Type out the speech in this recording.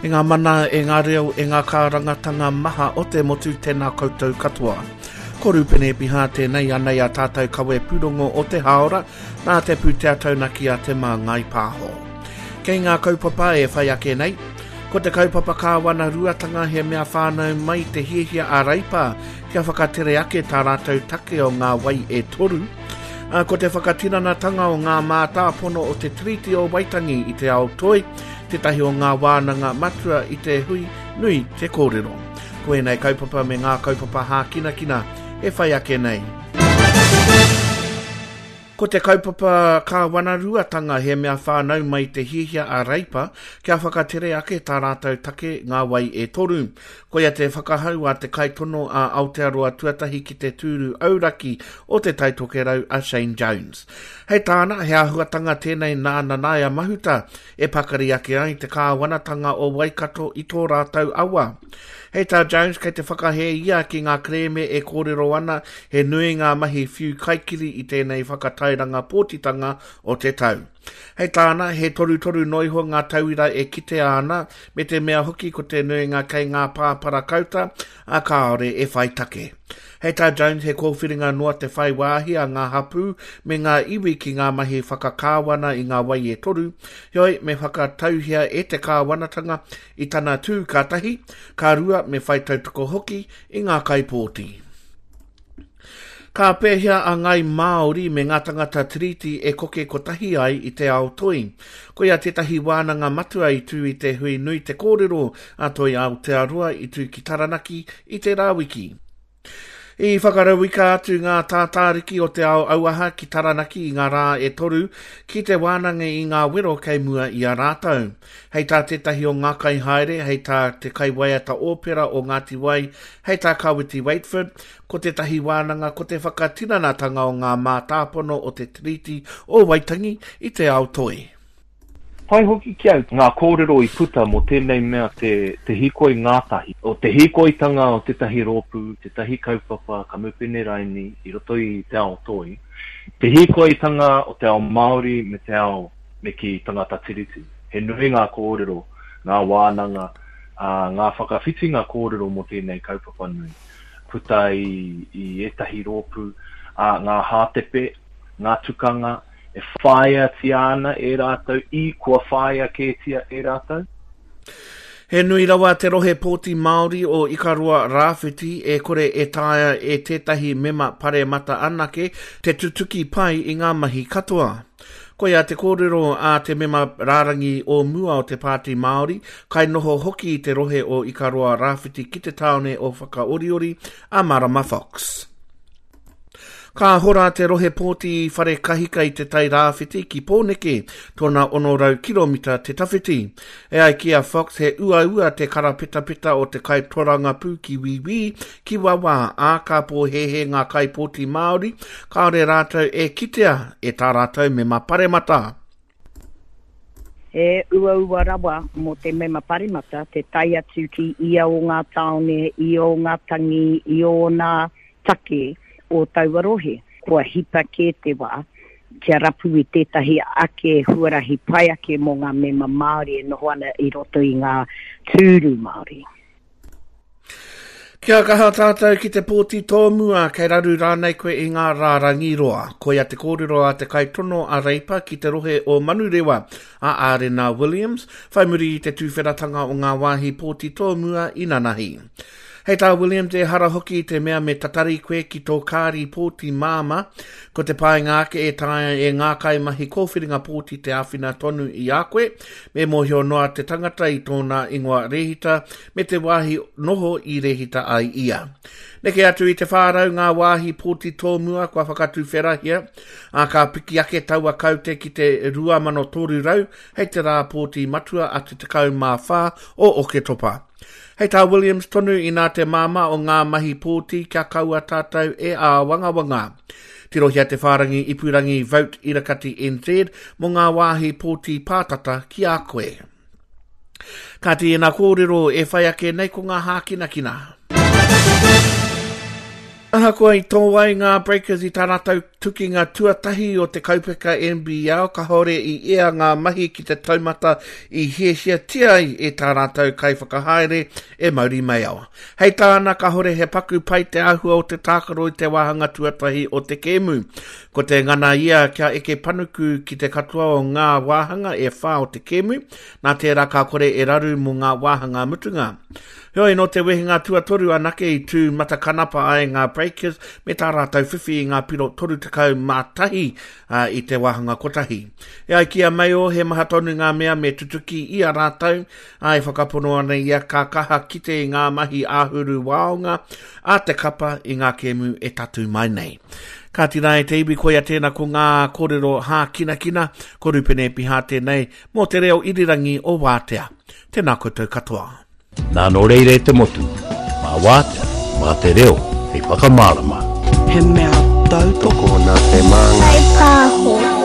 E ngā mana, e ngā reo, e ngā kārangatanga maha o te motu, tēnā koutou katoa. Ko Rūpene Epiha tēnei, anei a tātou kawe pūrongo o te hāora, nā te pūtea taunaki a Te Māngai Pāho. Kei ngā kaupapa e whai ake nei, ko te kaupapa kāwana ruatanga he mea whānau mai te hiahia a Reipa kia whakatere ake tā rātou take o ngā wai e toru, ā, ko te whakatinanatanga o ngā mātāpono o te Tiriti o Waitangi i te ao toi, tētahi o ngā wānanga matua i te hui nui te kōrero. Ko ēnei kaupapa me ngā kaupapa hākinakina e whai ake nei. Ko te kaupapa kāwanaruatanga he mea whānau mai te hiahia a Reipa kia whakatere ake tā rātou take Ngā Wai e Toru. Koia te whakahau a te kaitono a Aotearoa Tuatahi ki te tūru auraki o Te Tai Tokerau a Shane Jones. Hei tāna, he āhuatanga tēnei nā Nanaia Mahuta e pakari ake ai te kāwanatanga o Waikato i tō rātou awa. Hei tā Jones, kei te whakahē ia ki ngā kerēme e kōrero ana he nui ngā mahi whiu kaikiri i tēnei whakatairanga pōtitanga o te tau. Hei tāna, he torutoru noa iho ngā tauira e kitea ana, me te mea hoki ko te nuinga kei ngā pāpara kauta, ā, kāore e whai take. Hei tā Jones he kōwhiringa noa te whai wāhi a ngā hapū me ngā iwi ki ngā mahi whakakāwana i ngā wai e toru, heoi me whakatauhia e te kāwanatanga i tana tū ka tahi, ka rua me whai tautoko hoki i ngā kaipōti. Ka pēhea a Ngāi Māori me ngā tangata Tiriti e koke kotahi ai i te ao toi? Koia tētahi wānanga matua i tū i te hui nui te kōrero a Toi Aotearoa i tū ki Taranaki i tērā wiki. I whakarauika atu ngā tātāriki o te ao auaha ki Taranaki i ngā rā e toru ki te wānanga i ngā wero kei mua i a rātou. Hei tā tētahi o ngā kaihaere, hei tā te kaiwaiata ōpera o Ngāti Wai, hei tā Kawiti Waetford, ko tētahi wānanga ko te whakatinanatanga o ngā mātāpono o te Tiriti o Waitangi i te ao toi. Pai hoki ki au ngā kōrero i puta mō tēnei mea te te hīkoi ngātahi, o te hīkoitanga o tētahi rōpū, tētahi kaupapa kamupene raini i roto i te ao toi, te hīkoitanga o te ao Māori me te ao me kī tangata tiriti. He nui ngā kōrero, ngā wānanga, ā, ngā whakawhitinga kōrero mō tēnei kaupapa nui, puta i i ētahi rōpū, ā, ngā hātepe, ngā tukanga, E whāiatia ana e rātou i kua whāia kētia e rātou. He nui rawa te rohe pōti Māori o Ikaroa Rāwhiti e kore e taea e tētahi mema paremata anake te tutuki pai i ngā mahi katoa. Koia te kōrero a te mema rārangi o mua o te Pāti Māori, kainoho hoki i te rohe o Ikaroa Rāwhiti ki te tāone o Whakaoriori, a Marama Fox. Ka hora te rohe pōti i Wharekahika i Te Tai Rāwhiti ki Pōneke, tōna 600 kiromita te tawhiti. E ai ki a Fox he uaua te karapetapeta o te kaitorangapū ki wīwī, ki wawā, ā, ka pōhēhē ngā kaipōti Māori kāore rātou e kitea e tā rātou mema paremata. He uaua rawa mō te mema paremata te tae atu ki ia o ngā tāone, i ō ngā tangi, i ōna take o taua rohe. Kua hipa kē te wā kia rapu i tētahi ake huarahi pai ake mō ngā mema Māori e noho ana i roto i ngā tūru Māori. Kia kaha tātou ki te pōti tōmua, kei raru rānei koe i ngā rārangi roa. Koia te kōrero a te kaitono a Reipa ki te rohe o Manurewa, a Ārena Williams, whai muri i te tuwheratanga o ngā wāhi pōti tōmua inanahi. Hei tā Williams, ehara hoki i te mea me tatari koe ki tō kāri pōti māmā, ko te painga ake e taea e ngā kaimahi kōwhiringa pōti te āwhina tonu i a koe, me mōhio noa te tangata i tōna ingoa rēhita me te wāhi noho i rēhita ai ia. Neke atu i te 400 ngā wāhi pōti tōmua kua whakatuwherahia, ā, ka piki ake taua kaute ki te 2,300 hei te rā pōti matua a te 14 o Oketopa. Hei tā Williams tonu inā te māmā o ngā mahi pōti kia kaua tātou e āwangawanga. Tirohia te whārangi ipurangi Vote Irakati NZ mō ngā wāhi pōti pātata ki a koe. Kāti ēnā kōrero e whai ake nei ko ngā hākinakina. Ahakoa i tō ai ngā Breakers i tā rātou tukinga tuatahi o te kaupeka NBL kāore i ea ngā mahi ki te taumata i hiahiatia ai e tā rātou kaiwhakahaere e Mauri Maiawa. Hei tāna kāore he paku pai te āhua o te tākaro i te wāhanga tuatahi o te kēmu. Ko te ngana ia kia eke panuku ki te katoa o ngā wāhanga e whā o te kēmu, nā tērā ka kore e raru mō ngā wāhanga mutunga. Heoi, nō te wehenga tuatoru anake i tū matakanapa ai ngā Breakers me tā rātou whiwhi i ngā piro 31 i te wāhanga kotahi. E ai ki a Mayo, he maha tonu ngā mea me tutuki i a rātou, ā, e whakapono ana ia ka kaha kite i ngā mahi āhuru waonga a te kapa i ngā kēmu e tatū mai nei. Kāti rā e te iwi, koia tēnā ko ngā kōrero hākinakina, ko Rupene Epiha tēnei mō te reo irirangi o Wātea. Tēnā koutou katoa. Nā nō reira e te motu, mā Wātea, mā te reo hei whakamārama. He mea tautoko. Tokona te māngai. Whaipāho.